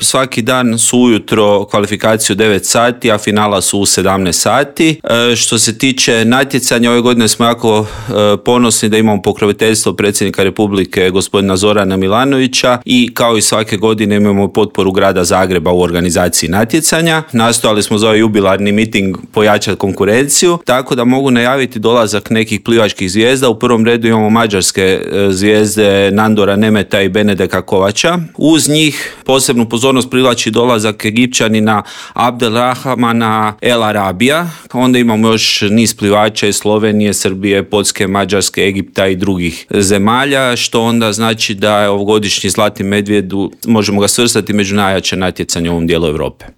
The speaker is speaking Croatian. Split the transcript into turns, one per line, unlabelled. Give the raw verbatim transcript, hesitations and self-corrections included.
Svaki dan su ujutro kvalifikacije u devet sati, a finala su u sedamnaest sati. E, što se tiče natjecanja, ove godine smo jako e, ponosni da imamo pokroviteljstvo predsjednika Republike gospodina Zorana Milanovića i kao i svake godine imamo potporu grada Zagreba u organizaciji natjecanja. Nastojali smo za ovaj jubilarni miting pojačati konkurenciju, tako da mogu najaviti dolazak nekih plivačkih zvijezda. U prvom redu imamo mađarske e, zvijezde Nandora Nemeta i Benedeka Kovača. Uz njih posebnu pozornost privlači dolazak Egipćanina Abdelrahmana El Arabija. Onda imamo još niz plivača iz Slovenije, Srbije, Poljske, Mađarske, Egipta i drugih zemalja, što onda znači da je ovogodišnji Zlatni medvjed, možemo ga svrstati među najjače natjecanje u ovom dijelu Europe.